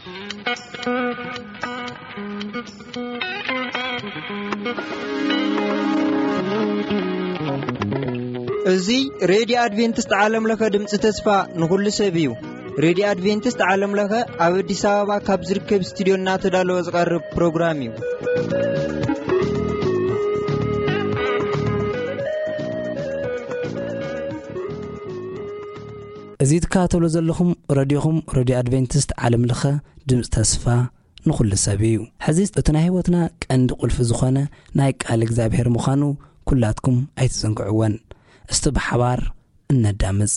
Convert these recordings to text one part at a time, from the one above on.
እዚ ሬድዮ ኣድቬንቲስት ዓለም ለኸ ድምፂ ተስፋ ንኹሉ ሰብ እዩ። ሬድዮ ኣድቬንቲስት ዓለም ለኸ ኣብ ኣዲስ ኣበባ ካብ ዝርከብ ስቱዲዮ እናተዳለወ ዝቐርብ ፕሮግራም እዩ። እዚ ትከታተሉ ዘለኹም ረድዮኹም፣ ረድዮ ኣድቬንቲስት ዓለም ለኸ ድምፂ ተስፋ ንኹሉ ሰብ እዩ። ሕዚ እቲ ናይ ህይወትና ቀንዲ ቁልፊ ዝኾነ ናይ ቃል እግዚኣብሔር ምዃኑ ኩላትኩም ኣይትዘንግዕወን። እስቲ ብሓባር እነዳምፅ።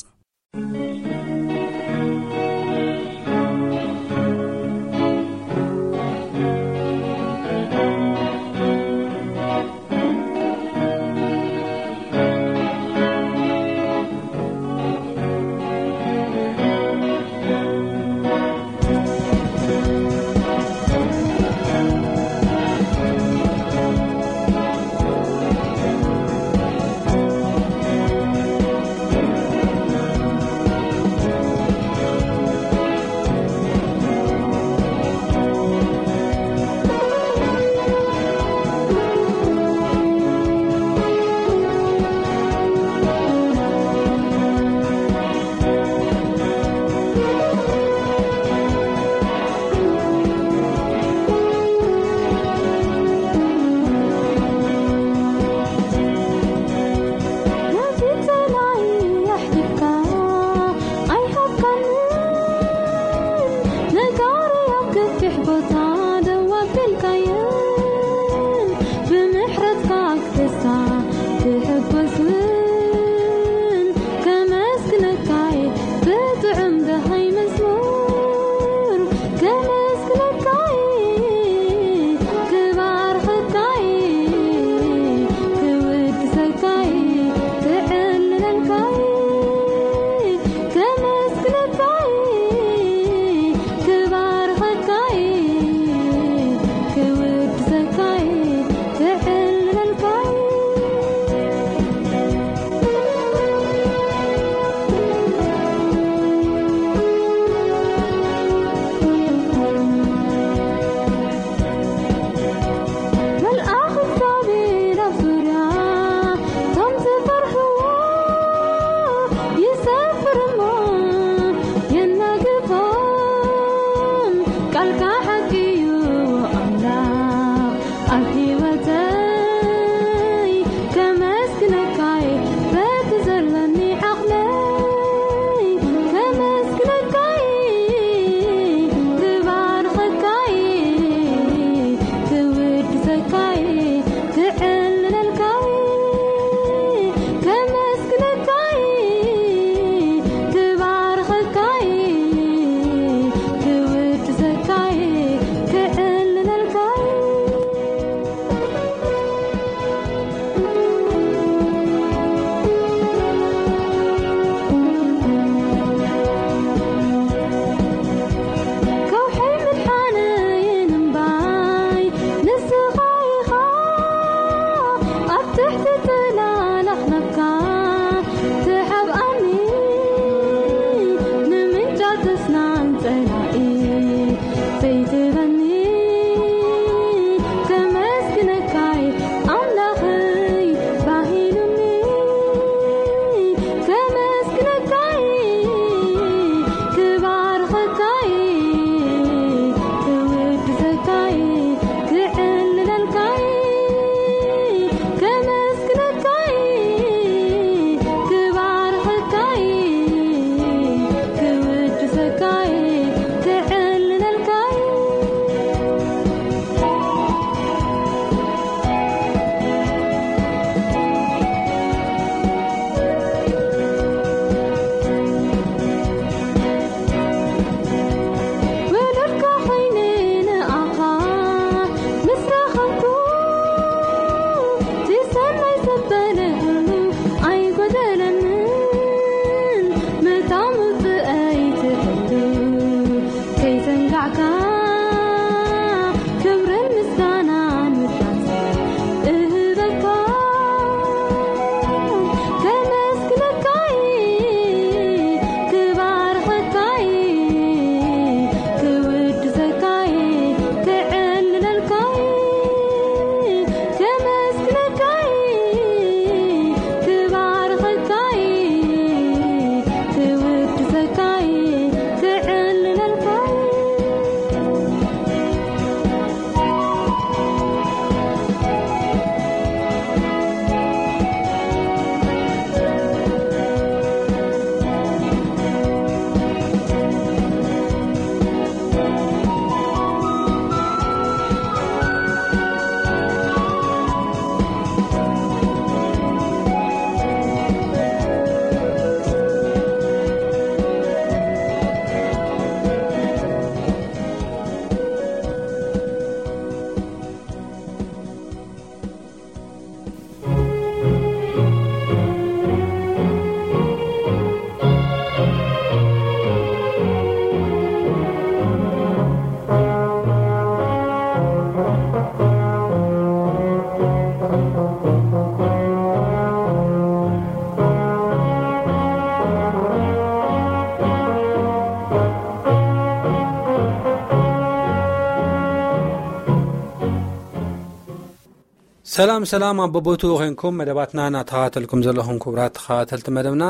ሰላም ሰላም፣ ኣብ በቦትኡ ኮንኩም መደባትና እናተኸታተልኩም ዘለኹም ክቡራት ተኸታተልቲ መደብና፣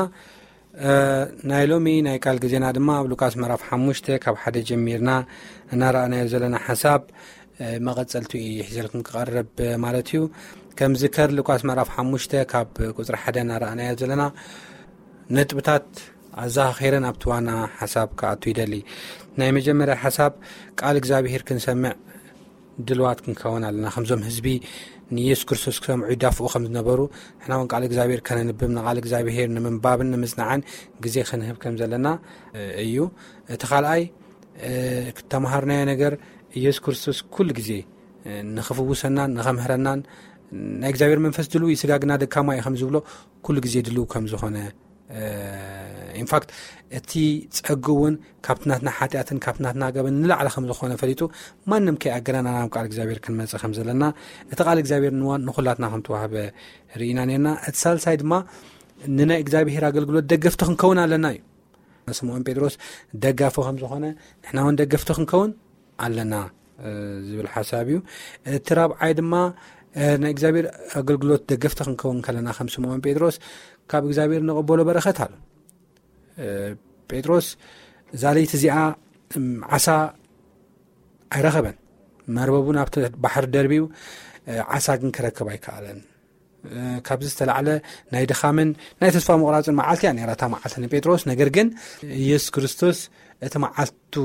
እ፣ ናይ ሎሚ ናይ ቃል ግዜና ድማ ኣብ ሉቃስ ምዕራፍ ሓሙሽተ ካብ ሓደ ጀሚርና እናረኣናዮ ዘለና ሓሳብ፣ እ፣ መቐጸልቱ እዩ ሒዘልኩም ክቐርብ ማለት እዩ። ከም ዝከር ሉቃስ ምዕራፍ ሓሙሽተ ካብ ቁጽሪ ሓደ እናረኣናዮ ዘለና ነጥብታት ኣዘኻኺረ ናብቲ ዋና ሓሳብ ክኣቱ ይደሊ። ናይ መጀመርያ ሓሳብ፣ ቃል እግዚኣብሔር ክንሰምዕ ድልዋት ክንከውን ኣለና። ከምዞም ህዝቢ ንኢየሱስ ክርስቶስ ክሰምዑ ይዳፍኡ ከም ዝነበሩ፣ ንሕና እውን ቃል እግዚኣብሔር ከነንብብ፣ ንቃል እግዚኣብሔር ንምንባብን ንምጽናዕን ግዜ ክንህብ ከም ዘለና፣ እ፣ እዩ። እቲ ካልኣይ፣ እ፣ ክተምሃርናዮ ነገር፣ ኢየሱስ ክርስቶስ ኩሉ ግዜ፣ እ፣ ንኽፍውሰናን ንኸምህረናን፣ ናይ እግዚኣብሔር መንፈስ ድልው እዩ፣ ስጋ ግና ደካማ እዩ ከም ዝብሎ፣ ኩሉ ግዜ ድልው ከም ዝኾነ፣ እ፣ ኢንፋክት እቲ ጸጉ እውን ካብቲ ናትና ሓጢኣትን ካብቲ ናትና ገበን ንላዕሊ ከም ዝኾነ ፈሊጡ፣ ማንም ከይኣገረና ናብ ቃል እግዚኣብሔር ክንመጽእ ከም ዘለና፣ እቲ ቃል እግዚኣብሔር ንዋ-፣ ንኹላትና ከም ተዋህበ ርኢና ነርና። እቲ ሳልሳይ ድማ ንናይ እግዚኣብሔር ኣገልግሎት ደገፍቲ ክንከውን ኣለና እዩ። ስምዖን ጴጥሮስ ደጋፊ ከም ዝኾነ፣ ንሕና እውን ደገፍቲ ክንከውን ኣለና፣ እ፣ ዝብል ሓሳብ እዩ። እቲ ራብዓይ ድማ፣ እ፣ ናይ እግዚኣብሔር ኣገልግሎት ደገፍቲ ክንከውን ከለና፣ ከም ስምዖን ጴጥሮስ ካብ እግዚኣብሔር ንቐበሎ በረኸት ኣሎ። እ፣ ጴጥሮስ እዛ ለይቲ እዚኣ፣ እም፣ ዓሳ ኣይረኸበን። መርበቡ ናብቲ ባሕሪ ደርብዩ፣ እ፣ ዓሳ ግን ክረክብ ኣይከኣለን። እ፣ ካብዚ ዝተላዕለ ናይ ድኻምን ናይ ተስፋ ምቑራጽን መዓልቲ እያ ነይራ እታ መዓልቲ ንጴጥሮስ። ነገር ግን ኢየሱስ ክርስቶስ እቲ መዓልቱ፣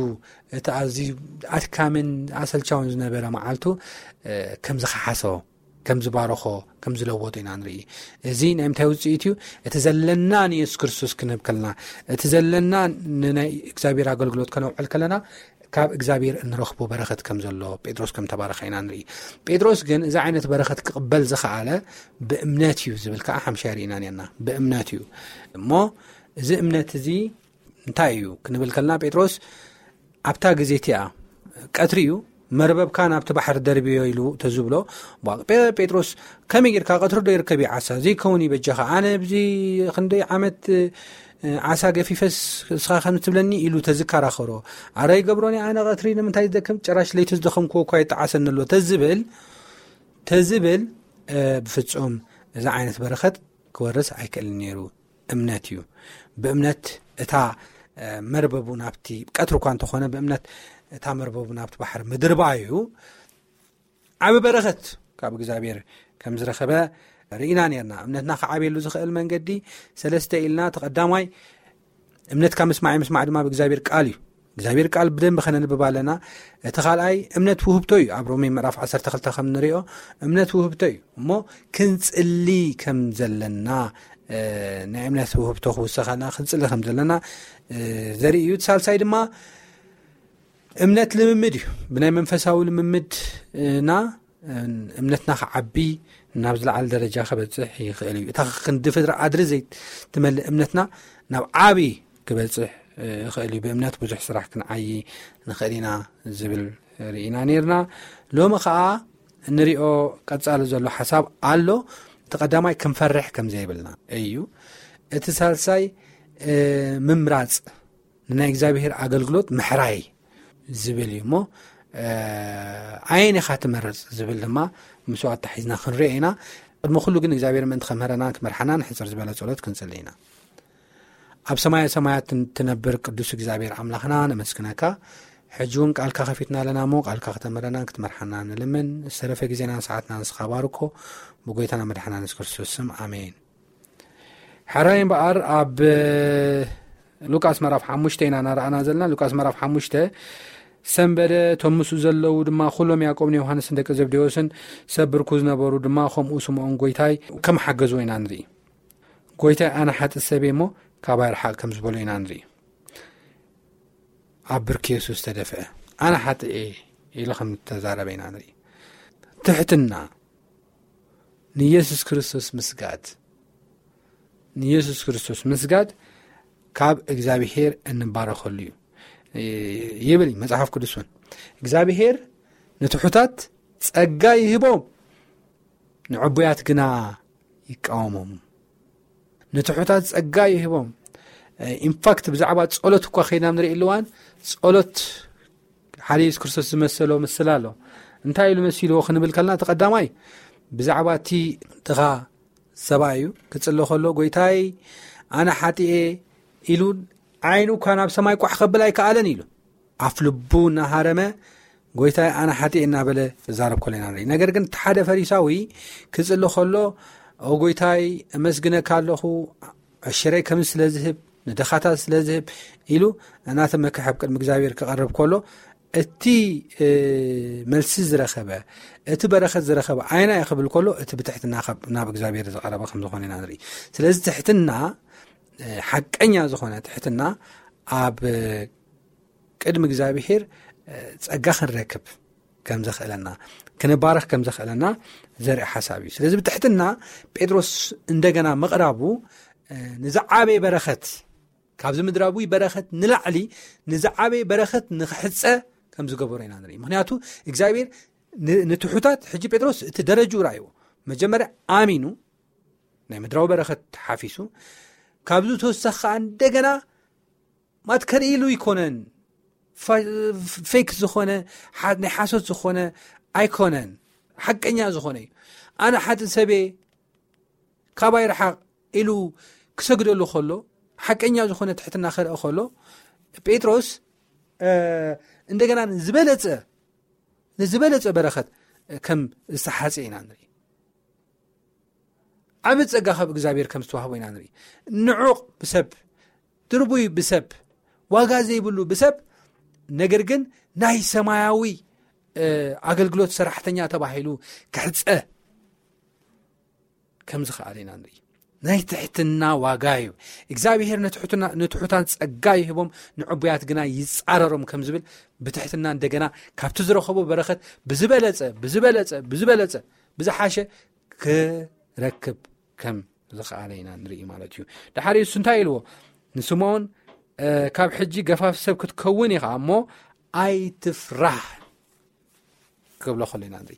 እቲ ኣዝዩ ኣድካምን ኣሰልቻውን ዝነበረ መዓልቱ፣ እ፣ ከም ዝኸሓሶ፣ ከም ዝባረኾ፣ ከም ዝለወጦ ኢና ንርኢ። እዚ ናይ ምንታይ ውጽኢት እዩ? እቲ ዘለና ንየሱስ ክርስቶስ ክንህብ ከለና፣ እቲ ዘለና ንናይ እግዚኣብሔር ኣገልግሎት ከነውዕል ከለና፣ ካብ እግዚኣብሔር እንረኽቦ በረኸት ከም ዘሎ፣ ጴጥሮስ ከም ተባረኸ ኢና ንርኢ። ጴጥሮስ ግን እዚ ዓይነት በረኸት ክቕበል ዝኸኣለ ብእምነት እዩ ዝብል ከኣ ሓምሻይ ርኢና ነርና። ብእምነት እዩ። እሞ እዚ እምነት እዚ እንታይ እዩ ክንብል ከለና፣ ጴጥሮስ ኣብታ ግዜ እቲኣ ቀትሪ እዩ፣ "መርበብካ ናብቲ ባሕሪ ደርብዮ" ኢሉ ተዝብሎ፣ ቧ-፣ ጴ-፣ ጴጥሮስ፣ "ከመይ ጌርካ ቀትሪ ዶ ይርከብ እዩ ዓሳ? ዘይከውን እዩ በጃኻ። ኣነ ኣብዚ ክንደይ ዓመት፣ እ፣ ዓሳ ገፊፈስ እስኻ ከም ትብለኒ?" ኢሉ ተዝከራኸሮ፣ "ኣረ ይገብሮን እየ ኣነ ቀትሪ፣ ንምንታይ ዝደክም? ጭራሽ ለይቲ ዝደኸምክዎ እኳ ይጠዓሰኒ ኣሎ" ተዝብል፣ ተዝብል፣ እ፣ ብፍጹም እዚ ዓይነት በረኸት ክወርስ ኣይክእልን ነይሩ። እምነት እዩ። ብእምነት እታ፣ እ፣ መርበቡ ናብቲ ቀትሪ እኳ እንተኾነ፣ ብእምነት እታ መርበቡ ናብቲ ባሕሪ ምድርባዩ ዓቢ በረኸት ካብ እግዚኣብሔር ከም ዝረኸበ ርኢና ነርና። እምነትና ክዓብየሉ ዝኽእል መንገዲ ሰለስተ ኢልና፣ እቲ ቀዳማይ እምነት ካብ ምስማዕ እዩ፣ ምስማዕ ድማ ብእግዚኣብሔር ቃል እዩ። እግዚኣብሔር ቃል ብደንቢ ከነንብብ ኣለና። እቲ ካልኣይ እምነት ውህብቶ እዩ። ኣብ ሮሜ ምዕራፍ ዓሰርተ ክልተ ከም ንሪኦ እምነት ውህብቶ እዩ። እሞ ክንጽሊ ከም ዘለና፣ እ፣ ናይ እምነት ውህብቶ ክውሰኸና ክንጽሊ ከም ዘለና፣ እ፣ ዘርኢ እዩ። እቲ ሳልሳይ ድማ እምነት ልምምድ እዩ። ብናይ መንፈሳዊ ልምምድ፣ እ፣ ና እምነትና ክዓቢ ናብ ዝለዓለ ደረጃ ክበጽሕ ይኽእል እዩ። እታ ክንዲ ፍጥሪ ኣድሪ ዘይትመልእ እምነትና ናብ ዓቢ ክበጽሕ ይኽእል እዩ። ብእምነት ብዙሕ ስራሕ ክንዓዪ ንኽእል ኢና ዝብል ርኢና ነርና። ሎሚ ኸኣ እንሪኦ ቀጻሊ ዘሎ ሓሳብ ኣሎ። እቲ ቀዳማይ ክንፈርሕ ከም ዘይብልና እዩ። እቲ ሳልሳይ፣ እ፣ ምምራጽ፣ ንናይ እግዚኣብሔር ኣገልግሎት ምሕራይ ዝብል እዩ እሞ፣ እ፣ ኣየን ኢኻ ትመርጽ ዝብል ድማ ምስኡ ኣታሒዝና ክንሪኦ ኢና። ቅድሚ ኩሉ ግን እግዚኣብሔር ምእንቲ ከምህረናን ክመርሓናን ሕጽር ዝበለ ጸሎት ክንጽሊ ኢና። ኣብ ሰማየ ሰማያት ትን-፣ ትነብር ቅዱስ እግዚኣብሔር ኣምላኽና ነመስግነካ። ሕጂ እውን ቃልካ ከፊትና ኣለና እሞ ቃልካ ክተምህረናን ክትመርሓና ንልምን። ዝተረፈ ግዜናን ሰዓትና ንስኻ ባርኮ። ብጎይታና መድሓና የሱስ ክርስቶስ ስም ኣሜን። ሕራይ እምበኣር ኣብ ሉቃስ ምዕራፍ ሓሙሽተ ኢና እናረኣና ዘለና። ሉቃስ ምዕራፍ ሓሙሽተ፣ ሰንበደ፣ እቶም ምስኡ ዘለዉ ድማ ኩሎም ያዕቆብን ዮሃንስን ደቂ ዘብዴዎስን ሰብ ብርኩ ዝነበሩ ድማ ከምኡ ስምዖን ጎይታይ ከም ሓገዝዎ ኢና ንርኢ። ጎይታይ ኣነ ሓጥእ ሰብ እየ እሞ ካባይ ርሓቕ ከም ዝበሎ ኢና ንርኢ። ኣብ ብርኪ የሱስ ተደፍአ። ኣነ ሓጥእ እየ ኢሉ ከም ዝተዛረበ ኢና ንርኢ። ትሕትና፣ ንየሱስ ክርስቶስ ምስጋድ፣ ንየሱስ ክርስቶስ ምስጋድ ካብ እግዚኣብሄር እንባረኸሉ እዩ ይብል እዩ መጽሓፍ ቅዱስ እውን። እግዚኣብሄር ንትሑታት ጸጋ ይህቦም፣ ንዕቡያት ግና ይቃወሞም። ንትሑታት ጸጋ ይህቦም። ኢንፋክት ብዛዕባ ጸሎት እኳ ኸይድና ንርኢ ኣለዋን፣ ጸሎት ሓደ የሱስ ክርስቶስ ዝመሰሎ ምስላ ኣሎ። እንታይ ኢሉ መሲልዎ ክንብል ከለና፣ እቲ ቀዳማይ ብዛዕባ እቲ ድኻ ሰብኣይ እዩ ክጽሊ ከሎ፣ "ጎይታይ፣ ኣነ ሓጢኤ" ኢሉ ዓይኑ እኳ ናብ ሰማይ ቋሕ ከብል ኣይከኣለን ኢሉ። ኣፍ ልቡ እናሃረመ፣ "ጎይታይ፣ ኣነ ሓጢኤ" እናበለ ዝዛረብ ከሎ ኢና ንርኢ። ነገር ግን እቲ ሓደ ፈሪሳዊ ክጽሊ ከሎ፣ "ኦ ጎይታይ፣ እመስግነካ ኣለኹ፣ ዕሽረይ ከም ስለ ዝህብ፣ ንድኻታት ስለ ዝህብ" ኢሉ እናተመክሐ ኣብ ቅድሚ እግዚኣብሔር ክቐርብ ከሎ፣ እቲ፣ እ፣ መልሲ ዝረኸበ፣ እቲ በረኸት ዝረኸበ ኣይና እዩ ክብል ከሎ፣ እቲ ብትሕትና ካብ፣ ናብ እግዚኣብሔር ዝቐረበ ከም ዝኾነ ኢና ንርኢ። ስለዚ ትሕትና፣ እ፣ ሓቀኛ ዝኾነ ትሕትና ኣብ ቅድሚ እግዚኣብሔር፣ እ፣ ጸጋ ክንረክብ ከም ዘኽእለና፣ ክንባረኽ ከም ዘኽእለና ዘርኢ ሓሳብ እዩ። ስለዚ ብትሕትና ጴጥሮስ እንደገና ምቕራቡ፣ እ፣ ንዝዓበየ በረኸት፣ ካብዚ ምድራዊ በረኸት ንላዕሊ ንዝዓበየ በረኸት ንኽሕጸ ከም ዝገበሮ ኢና ንርኢ። ምኽንያቱ እግዚኣብሔር ን-፣ ንትሑታት፣ ሕጂ ጴጥሮስ እቲ ደረጅኡ ራእይዎ። መጀመርያ ኣሚኑ፣ ናይ ምድራዊ በረኸት ሓፊሱ፣ ካብዚ ተወሳኺ ከኣ እንደገና ማት ከርኢ ኢሉ ኣይኮነን። ፋ-፣ ፌክ ዝኾነ፣ ሓ-፣ ናይ ሓሶት ዝኾነ ኣይኮነን። ሓቀኛ ዝኾነ እዩ። "ኣነ ሓጢእ ሰብየ፣ ካባይ ርሓቕ" ኢሉ ክሰግደሉ ከሎ፣ ሓቀኛ ዝኾነ ትሕትና ከርኢ ከሎ፣ ጴጥሮስ፣ እ፣ እንደገና ዝበለጸ፣ ንዝበለጸ በረኸት ከም ዝተሓጽየ ኢና ንርኢ። ዓቢ ጸጋ ካብ እግዚኣብሔር ከም ዝተዋህቦ ኢና ንርኢ። ንዑቕ ብሰብ፣ ድርቡይ ብሰብ፣ ዋጋ ዘይብሉ ብሰብ፣ ነገር ግን ናይ ሰማያዊ፣ እ፣ ኣገልግሎት ሰራሕተኛ ተባሂሉ ክሕጸ ከም ዝኸኣለ ኢና ንርኢ። ናይ ትሕትና ዋጋ እዩ። እግዚኣብሔር ንትሕትና-፣ ንትሑታን ጸጋ ይህቦም፣ ንዕቡያት ግና ይጻረሮም ከም ዝብል፣ ብትሕትና እንደገና ካብቲ ዝረኸቦ በረኸት ብዝበለጸ፣ ብዝበለጸ፣ ብዝበለጸ፣ ብዝሓሸ ክረክብ ከም ዝኸኣለ ኢና ንርኢ ማለት እዩ። ድሓር እሱ እንታይ ኢልዎ? ንስምዖን፣ እ፣ "ካብ ሕጂ ገፋፍ ሰብ ክትከውን ኢኻ እሞ ኣይትፍራህ" ክብሎ ከሎ ኢና ንርኢ።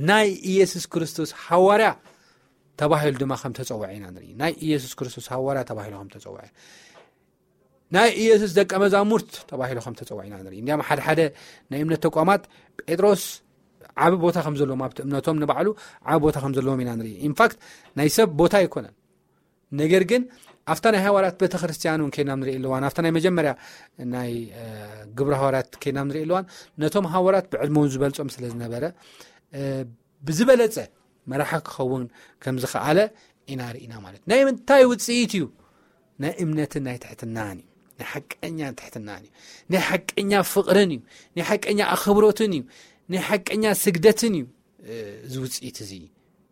ናይ ኢየሱስ ክርስቶስ ሃዋርያ ተባሂሉ ድማ ከም ተጸውዐ ኢና ንርኢ። ናይ ኢየሱስ ክርስቶስ ሃዋርያ ተባሂሉ ከም ተጸውዐ፣ ናይ ኢየሱስ ደቀ መዛሙርት ተባሂሉ ከም ተጸውዐ ኢና ንርኢ። እንዲያም ሓደ ሓደ ናይ እምነት ተቋማት ጴጥሮስ ዓቢ ቦታ ከም ዘለዎም፣ ኣብቲ እምነቶም ንባዕሉ ዓቢ ቦታ ከም ዘለዎም ኢና ንርኢ። ኢንፋክት ናይ ሰብ ቦታ ኣይኮነን። ነገር ግን ኣብታ ናይ ሃዋርያት ቤተክርስትያን እውን ከይናም ንርኢ ኣለዋን፣ ኣብታ ናይ መጀመርያ ናይ፣ እ፣ ግብረ ሃዋርያት ከይናም ንርኢ ኣለዋን፣ ነቶም ሃዋርያት ብዕድመውን ዝበልጾም ስለ ዝነበረ፣ እ፣ ብዝበለጸ መራሒ ክኸውን ከም ዝኸኣለ ኢና ርኢና ማለት እዩ። ናይ ምንታይ ውጽኢት እዩ? ናይ እምነትን ናይ ትሕትናን እዩ። ናይ ሓቀኛ ትሕትናን እዩ። ናይ ሓቀኛ ፍቕርን እዩ። ናይ ሓቀኛ ኣኽብሮትን እዩ። ናይ ሓቀኛ ስግደትን እዩ፣ እ፣ እዚ ውጽኢት እዚ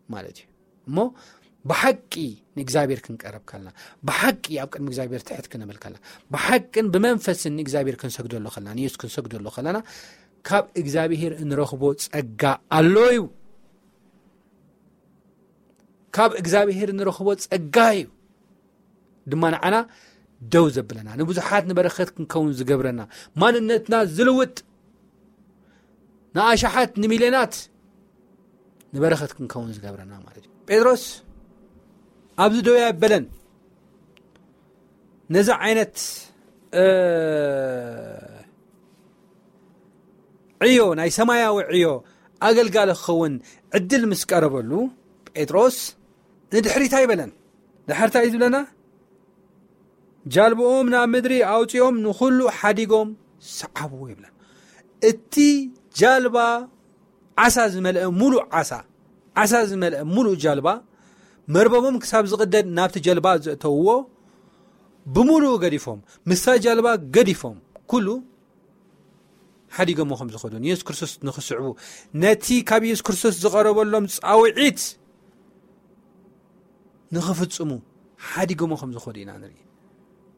ማለት እዩ። እሞ ብሓቂ ንእግዚኣብሔር ክንቀርብ ከለና፣ ብሓቂ ኣብ ቅድሚ እግዚኣብሔር ትሕት ክንብል ከለና፣ ብሓቅን ብመንፈስን ንእግዚኣብሔር ክንሰግደሉ ከለና፣ ንየሱስ ክንሰግደሉ ከለና፣ ካብ እግዚኣብሔር እንረኽቦ ጸጋ ኣሎ እዩ። ካብ እግዚኣብሔር እንረኽቦ ጸጋ እዩ ድማ ንዓና ደው ዘብለና፣ ንብዙሓት ንበረኸት ክንከውን ዝገብረና፣ ማንነትና ዝልውጥ፣ ንኣሽሓት ንሚልዮናት ንበረኸት ክንከውን ዝገብረና ማለት እዩ። ጴጥሮስ ኣብዚ ደው ኣይበለን። ነዚ ዓይነት፣ እ፣ ዕዮ፣ ናይ ሰማያዊ ዕዮ ኣገልጋሊ ክኸውን ዕድል ምስ ቀረበሉ፣ ጴጥሮስ ንድሕሪት ኣይበለን። ድሕር እንታይ እዩ ዝብለና? "ጃልባኦም ናብ ምድሪ ኣውጺኦም ንኹሉ ሓዲጎም ሰዓብዎ" ይብለና። እቲ ጃልባ ዓሳ ዝመልአ፣ ሙሉእ ዓሳ፣ ዓሳ ዝመልአ ሙሉእ ጃልባ፣ መርበቦም ክሳብ ዝቕደድ ናብቲ ጃልባ ዘእተውዎ፣ ብሙሉኡ ገዲፎም፣ ምስታ ጃልባ ገዲፎም፣ ኩሉ ሓዲጎሞ ከም ዝኸዱ፣ ንየሱስ ክርስቶስ ንኽስዕቡ፣ ነቲ ካብ የሱስ ክርስቶስ ዝቐረበሎም ጻውዒት ንኽፍጽሙ ሓዲጎሞ ከም ዝኸዱ ኢና ንርኢ።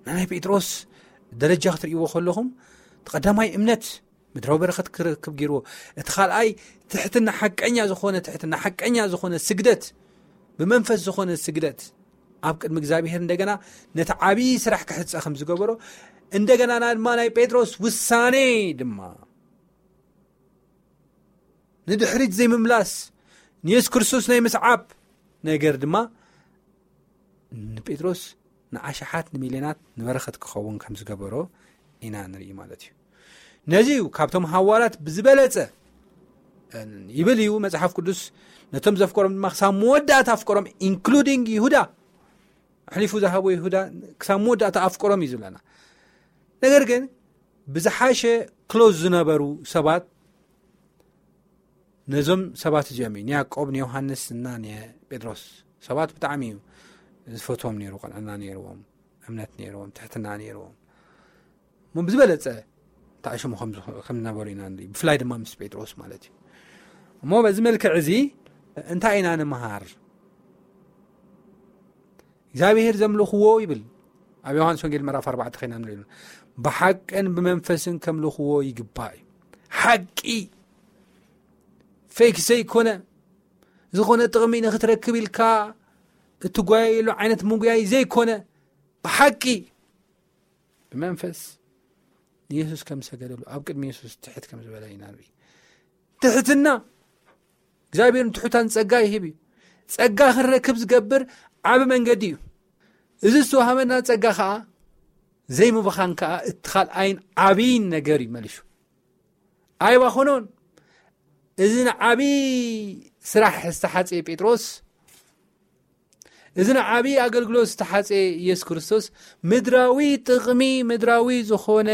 ንናይ ጴጥሮስ ደረጃ ክትርእይዎ ከለኹም፣ እቲ ቀዳማይ እምነት ምድራዊ በረኸት ክረክብ ገይርዎ፣ እቲ ካልኣይ ትሕትና፣ ሓቀኛ ዝኾነ ትሕትና፣ ሓቀኛ ዝኾነ ስግደት፣ ብመንፈስ ዝኾነ ስግደት ኣብ ቅድሚ እግዚኣብሔር እንደገና ነቲ ዓብዪ ስራሕ ክሕጸ ከም ዝገበሮ፣ እንደገና ድማ ናይ ጴጥሮስ ውሳኔ ድማ ንድሕሪት ዘይምምላስ፣ ንየሱስ ክርስቶስ ናይ ምስዓብ ነገር ድማ ንጴጥሮስ ንኣሽሓት ንሚልዮናት ንበረኸት ክኸውን ከም ዝገበሮ ኢና ንርኢ ማለት እዩ። ነዚ እዩ ካብቶም ሃዋርያት ብዝበለጸ ይብል እዩ መጽሓፍ ቅዱስ። ነቶም ዘፍቀሮም ድማ ክሳብ መወዳእታ ኣፍቀሮም፣ ኢንክሉዲንግ ይሁዳ፣ ኣሕሊፉ ዝሃቦ ይሁዳ ክሳብ መወዳእታ ኣፍቀሮም እዩ ዝብለና። ነገር ግን ብዝሓሸ ክሎዝ ዝነበሩ ሰባት ነዞም ሰባት እዚኦም እዩ፣ ንያዕቆብ፣ ንዮሃንስ እና ንጴጥሮስ። ሰባት ብጣዕሚ እዩ ዝፈትዎም ነይሩ። ቅንዕና ነይርዎም፣ እምነት ነይርዎም፣ ትሕትና ነይርዎም። እሞ ብዝበለጸ ተኣሽሙ ከም ዝነበሩ ኢና ንርኢ፣ ብፍላይ ድማ ምስ ጴጥሮስ ማለት እዩ። እሞ በዚ መልክዕ እዚ እንታይ ኢና ንምሃር? እግዚኣብሔር ዘምልኽዎ ይብል ኣብ ዮሃንስ ወንጌል ምዕራፍ ኣርባዕተ ኸይና ንርኢ፣ ብሓቅን ብመንፈስን ከምልኽዎ ይግባእ እዩ። ሓቂ፣ ፌክ ዘይኮነ፣ ዝኾነ ጥቕሚ ንኽትረክብ ኢልካ እትጓየየሉ ዓይነት ምጉያይ ዘይኮነ፣ ብሓቂ ብመንፈስ ንየሱስ ከም ሰገደሉ፣ ኣብ ቅድሚ የሱስ ትሕት ከም ዝበለ ኢና ንርኢ። ትሕትና፣ እግዚኣብሔር ንትሑታን ጸጋ ይህብ እዩ። ጸጋ ክንረክብ ዝገብር ዓቢ መንገዲ እዩ። እዚ ዝተዋህበና ጸጋ ኸኣ ዘይምብኻን ከኣ እቲ ካልኣይን ዓብይን ነገር እዩ መሊሱ። ኣይባኸኖን። እዚ ንዓብዪ ስራሕ ዝተሓጸየ ጴጥሮስ፣ እዚ ንዓብዪ ኣገልግሎት ዝተሓጸየ ኢየሱስ ክርስቶስ፣ ምድራዊ ጥቕሚ፣ ምድራዊ ዝኾነ፣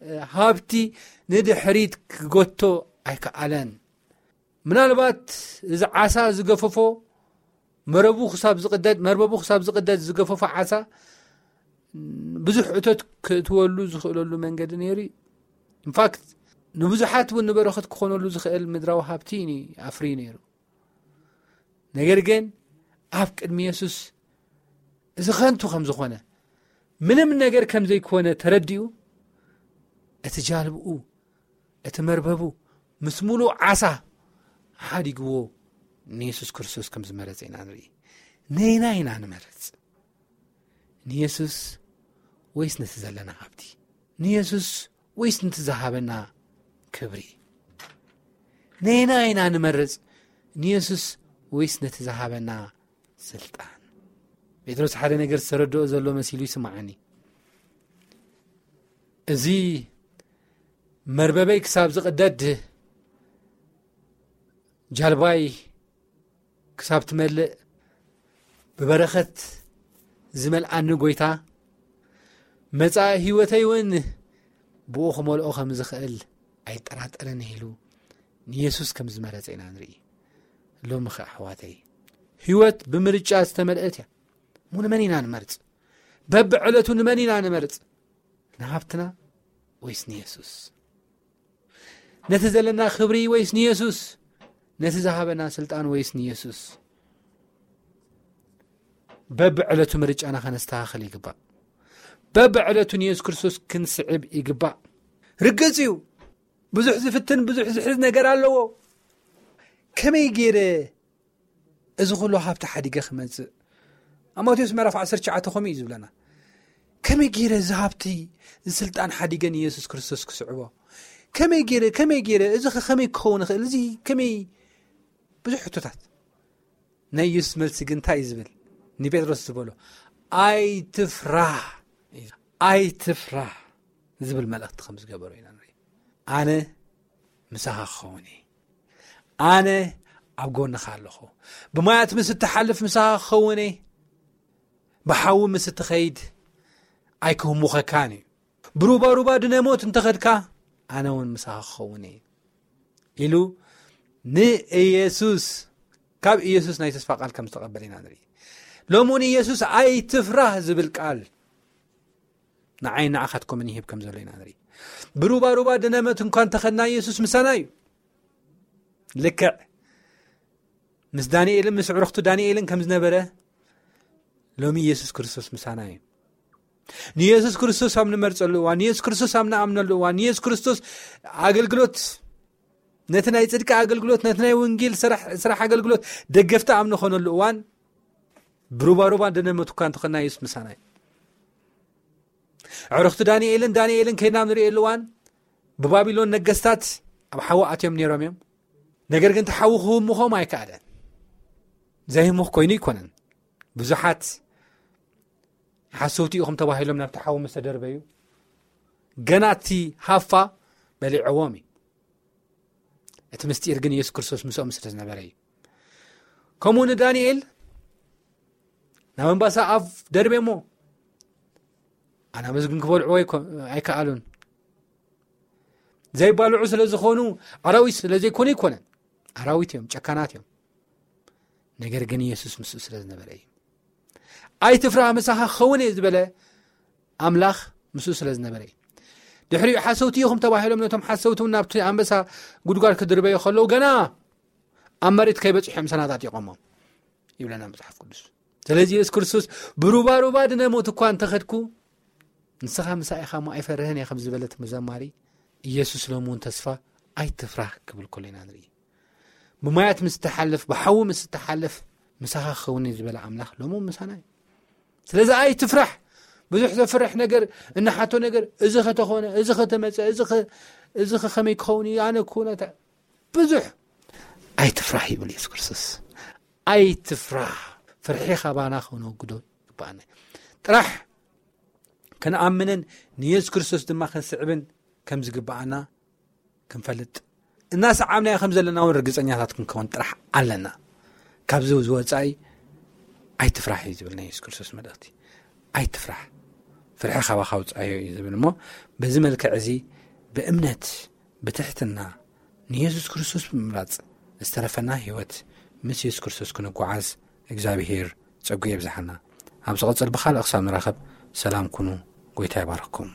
እ፣ ሃብቲ ንድሕሪት ክጎቶ ኣይከኣለን። ምናልባት እዚ ዓሳ ዝገፈፎ፣ መረቡ ክሳብ ዝቕደድ፣ መርበቡ ክሳብ ዝቕደድ ዝገፈፎ ዓሳ፣ ብዙሕ እቶት ክእትወሉ ዝኽእለሉ መንገዲ ነይሩ እዩ። ኢንፋክት፣ ንብዙሓት እውን ንበረኸት ክኾነሉ ዝኽእል ምድራዊ ሃብቲ እዩ ኣፍርዩ ነይሩ። ነገር ግን ኣብ ቅድሚ የሱስ እዚ ኸንቱ ከም ዝኾነ፣ ምንም ነገር ከም ዘይኮነ ተረዲኡ፣ እቲ ጃልብኡ፣ እቲ መርበቡ ምስ ምሉእ ዓሳ ሓዲግዎ ንየሱስ ክርስቶስ ከም ዝመረጸ ኢና ንርኢ። ነየናይ ኢና ንመርጽ? ንየሱስ ወይስ ነቲ ዘለና ሃብቲ? ንየሱስ ወይስ ነቲ ዝሃበና ክብሪ? ነየናይ ኢና ንመርጽ? ንየሱስ ወይስ ነቲ ዝሃበና ስልጣን? ጴጥሮስ ሓደ ነገር ዝተረድኦ ዘሎ መሲሉ ይስምዓኒ። እዚ መርበበይ ክሳብ ዝቕደድ፣ ጃልባይ ክሳብ ትመልእ፣ ብበረኸት ዝመልኣኒ ጎይታ፣ መጻኢ ህይወተይ እውን ብኡ ክመልኦ ከም ዝኽእል ኣይጠራጠርን ኢሉ ንየሱስ ከም ዝመረጸ ኢና ንርኢ። ሎሚ ኸ ኣሕዋተይ፣ ህይወት ብምርጫ ዝተመልአት እያ። እሞ ንመን ኢና ንመርጽ? በብዕለቱ ንመን ኢና ንመርጽ? ንሃብትና ወይስ ንየሱስ? ነቲ ዘለና ክብሪ ወይስ ንየሱስ? ነቲ ዝሃበና ስልጣን ወይስ ንየሱስ? በብዕለቱ ምርጫና ከነስተኻኽል ይግባእ። በብዕለቱ ንየሱስ ክርስቶስ ክንስዕብ ይግባእ። ርግጽ እዩ፣ ብዙሕ ዝፍትን ብዙሕ ዝሕዝ ነገር ኣለዎ። ከመይ ገይረ እዚ ኩሉ ሃብቲ ሓዲገ ክመጽእ? ኣብ ማቴዎስ ምዕራፍ ዓሰርተ ትሽዓተ ከምኡ እዩ ዝብለና። ከመይ ገይረ እዚ ሃብቲ፣ እዚ ስልጣን ሓዲገ ንየሱስ ክርስቶስ ክስዕቦ? ከመይ ገይረ፣ ከመይ ገይረ፣ እዚ ኸ ከመይ ክኸውን ይኽእል? እዚ ከመይ? ብዙሕ ሕቶታት። ናይ የሱስ መልሲ ግን እንታይ እዩ ዝብል? ንጴጥሮስ ዝበሎ፣ "ኣይትፍራህ፣ ኣይትፍራህ" ዝብል መልእኽቲ ከም ዝገበሮ ኢና ንርኢ። "ኣነ ምሳኻ ክኸውን እየ። ኣነ ኣብ ጎንኻ ኣለኹ። ብማያት ምስ እትሓልፍ ምሳኻ ክኸውን እየ። ብሓዊ ምስ እትኸይድ ኣይክህሙኸካን እዩ። ብሩባሩባ ድነ ሞት እንተኸድካ፣ ኣነ እውን ምሳኻ ክኸውን እየ" ኢሉ ንኢየሱስ፣ ካብ ኢየሱስ ናይ ተስፋ ቃል ከም ዝተቐበለ ኢና ንርኢ። ሎሚ እውን ኢየሱስ "ኣይትፍራህ" ዝብል ቃል ንዓይ ንዓኻትኩምን ይህብ ከም ዘሎ ኢና ንርኢ። ብሩባሩባ ድነ ሞት እንኳ እንተኸድና፣ ኢየሱስ ምሳና እዩ። ልክዕ ምስ ዳንኤልን ምስ ዕሩኽቱ ዳንኤልን ከም ዝነበረ፣ ሎሚ ኢየሱስ ክርስቶስ ምሳና እዩ። ንኢየሱስ ክርስቶስ ኣብ ንመርጸሉ እዋን፣ ንኢየሱስ ክርስቶስ ኣብ ንኣምነሉ እዋን፣ ንኢየሱስ ክርስቶስ ኣገልግሎት፣ ነቲ ናይ ጽድቂ ኣገልግሎት፣ ነቲ ናይ ወንጌል ስራሕ፣ ስራሕ ኣገልግሎት ደገፍቲ ኣብ ንኾነሉ እዋን፣ ብሩባሩባ ድነ ሞት እኳ እንተኾንና፣ ኢየሱስ ምሳና እዩ። ዕሩኽቲ ዳንኤልን ዳንኤልን ከይድና ኣብ ንርእየሉ እዋን፣ ብባቢሎን ነገስታት ኣብ ሓዊ ኣትዮም ነይሮም እዮም። ነገር ግን እቲ ሓዊ ክህሙኾም ኣይከኣለን። ዘይህሙኽ ኮይኑ ኣይኮነን። ብዙሓት ሓሰውቲ ኢኹም ተባሂሎም ናብቲ ሓዊ ምስ ተደርበዩ፣ ገና እቲ ሃፋ በሊዕዎም እዩ። እቲ ምስጢር ግን የሱስ ክርስቶስ ምስኦም ስለ ዝነበረ እዩ። ከምኡ ንዳንኤል ናብ ኣንበሳ ኣፍ ደርቤሞ፣ ኣናብስ ግን ክበልዕዎ ኣይኮ-፣ ኣይከኣሉን። ዘይባልዑ ስለ ዝኾኑ፣ ኣራዊት ስለ ዘይኮኑ ኣይኮነን። ኣራዊት እዮም፣ ጨካናት እዮም። ነገር ግን የሱስ ምስኡ ስለ ዝነበረ እዩ። "ኣይትፍራህ፣ ምሳኻ ክኸውን እየ" ዝበለ ኣምላኽ ምስኡ ስለ ዝነበረ እዩ። ድሕሪኡ ሓሰውቲ ኢኹም ተባሂሎም ነቶም ሓሰውቲ እውን ናብቲ ኣንበሳ ጉድጓድ ክድርበዩ ከለዉ፣ ገና ኣብ መሬት ከይበጽሑ እዮም ሰናጣጢቖሞም ይብለና መጽሓፍ ቅዱስ። ስለዚ የሱስ ክርስቶስ፣ "ብሩባሩባ ድነ ሞት እኳ እንተኸድኩ፣ ንስኻ ምሳይ ኢኻ እሞ ኣይፈርህን እየ" ከም ዝበለ እቲ መዘማሪ፣ ኢየሱስ ሎም እውን ተስፋ "ኣይትፍራህ" ክብል ከሎ ኢና ንርኢ። ብማያት ምስ ትሓልፍ፣ ብሓዊ ምስ ትሓልፍ፣ "ምሳኻ ክኸውን እየ" ዝበለ ኣምላኽ ሎም እውን ምሳና እዩ። ስለዚ ኣይትፍራሕ። ብዙሕ ዘፍርሕ ነገር፣ እንሓቶ ነገር፣ "እዚ ከተኾነ፣ እዚ ከተመጸ፣ እዚ ከ-፣ እዚ ከ-፣ ከመይ ክኸውን እዩ? ኣነ ክኾነ ተ-" ብዙሕ ኣይትፍራሕ ይብል የሱስ ክርስቶስ። ኣይትፍራሕ። ፍርሒ ካባና ከነወግዶ ይግባኣና። ጥራሕ ክንኣምንን ንየሱስ ክርስቶስ ድማ ክንስዕብን ከም ዝግባኣና ክንፈልጥ፣ እናሰዓብናዮ ከም ዘለና እውን ርግጸኛታት ክንከውን ጥራሕ ኣለና። ካብዚ ዝወጻኢ ኣይትፍራሕ እዩ ዝብል ናይ የሱስ ክርስቶስ መልእኽቲ። "ኣይትፍራሕ፣ ፍርሒ ካባኻ ኣውጽኣዮ" እዩ ዝብል። እሞ በዚ መልክዕ እዚ ብእምነት፣ ብትሕትና፣ ንየሱስ ክርስቶስ ብምምራጽ ዝተረፈና ህይወት ምስ የሱስ ክርስቶስ ክንጓዓዝ እግዚኣብሄር ጸጉ የብዝሓና። ኣብ ዝቐጽል ብኻልእ ክሳብ ንራኸብ ሰላም ኩኑ። ጎይታ ይባርኽኩም።